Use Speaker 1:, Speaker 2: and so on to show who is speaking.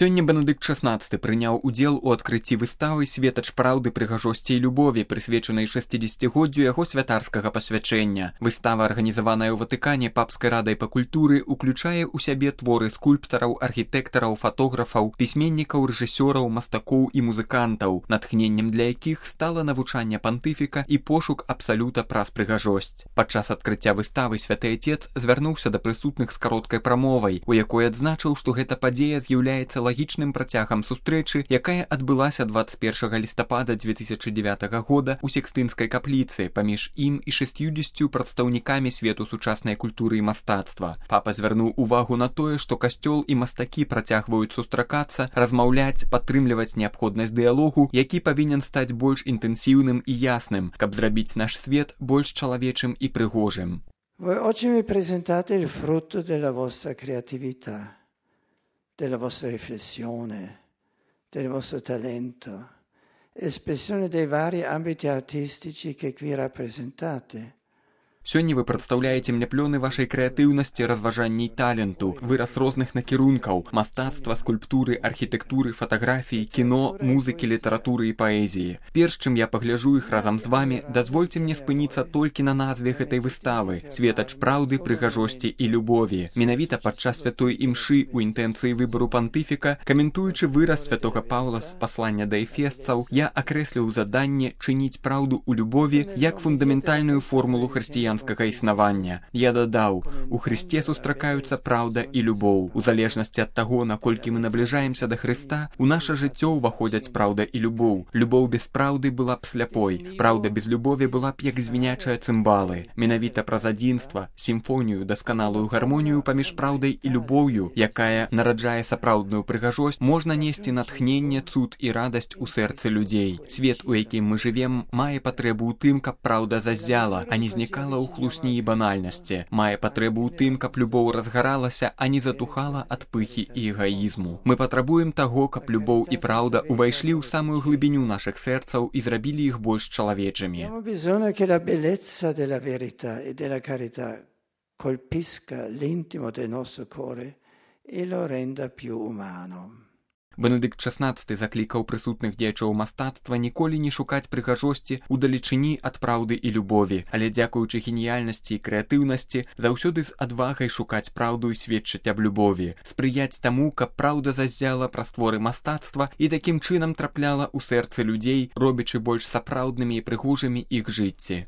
Speaker 1: Сёння Бенедыкт XVI прыняў удзел у адкрыцці выставы «Светач праўды, прыгажосці і любові», прысвечанай 60годдзю яго святарскага пасвячэння. Выстава, арганізаваная ў Ватыкане папскай радай па культуры, уключае ў сябе творы скульптараў, архітэктараў, фатографаў, пісьменнікаў, рэжысёраў, мастакоў і музыкантаў, натхненнем для якіх стала навучанне пантыфіка і пошук абсалюта праз прыгажосць. Падчас адкрыцця выставы святы Отец звярнуўся да прысутных з кароткай прамовай, у якой адзначыў, што гэта падзея з'яўляецца лагічным працягам сустрэчы, якая адбылася 21 лістапада 2009 года ў Сікстынскай капліцы паміж ім і 60 прадстаўнікамі свету сучаснай культуры і мастацтва. Папа звярнуў увагу на тое, што касцёл і мастакі працягваюць сустракацца, размаўляць, падтрымліваць неабходнасць дыялогу, які павінен стаць больш інтэнсіўным і ясным, каб зрабіць наш свет больш чалавечым і прыгожым.
Speaker 2: Voi oggi mi presentate il frutto della vostra creatività, della vostra riflessione, del vostro talento, espressione dei vari ambiti artistici che qui rappresentate.
Speaker 1: Сёння вы прадстаўляеце мне плёны вашай крэатыўнасці, разважання і таленту, выраз розных накірункаў, мастацтва, скульптуры, архітэктуры, фатаграфіі, кіно, музыкі, літаратуры і паэзіі. Перш чым я пагляджу іх разам з вамі, дазвольце мне спыніцца толькі на назве гэтай выставы «Светач праўды, прыгажосці і любові». Менавіта падчас святой імшы ў інтэнцыі выбару пантыфіка, каментуючы выраз святога Паўла з паслання да эфесцаў, я акрэсліў заданне чыніць праўду ў любові як фундаментальную формулу хрысціянскага існавання. Я дадаў, у Хрысце сустракаюцца праўда і любоў. У залежнасці ад таго, наколькі мы набліжаемся да Хрыста, у наша жыццё ўваходзяць праўда і любоў. Любоў без праўды была б сляпой. Праўда без любові была б як звінячыя цымбалы. Менавіта праз адзінства, сімфонію, дасканалую гармонію паміж праўдай і любоўю, якая нараджае сапраўдную прыгажосць, можна несці натхненне, цуд і радасць у сэрцы людзей. Свет, у якім мы жывем, мае патрэбу ў тым, каб праўда заззяла, а не знікала ў хлусні і банальнасці. Мае патрэбу ў тым, каб любоў разгаралася, а не затухала ад пыхі і эгаізму. Мы патрабуем таго, каб любоў і праўда увайшлі ў самую глыбіню нашых сэрцаў і зрабілі іх больш чалавечымі.
Speaker 2: Abbiamo bisogno che la bellezza della verità e della carità colpisca l'intimo del nostro cuore e lo renda più umano.
Speaker 1: Бенедыкт XVI заклікаў прысутных дзеячоў мастацтва ніколі не шукаць прыгажосці ў далечыні ад праўды і любові, але дзякуючы геніяльнасці і крэатыўнасці заўсёды з адвагай шукаць праўду і сведчыць аб любові, спрыяць таму, каб праўда заззяла праз творы мастацтва і такім чынам трапляла ў сэрцы людзей, робячы больш сапраўднымі і прыгожымі іх жыцці.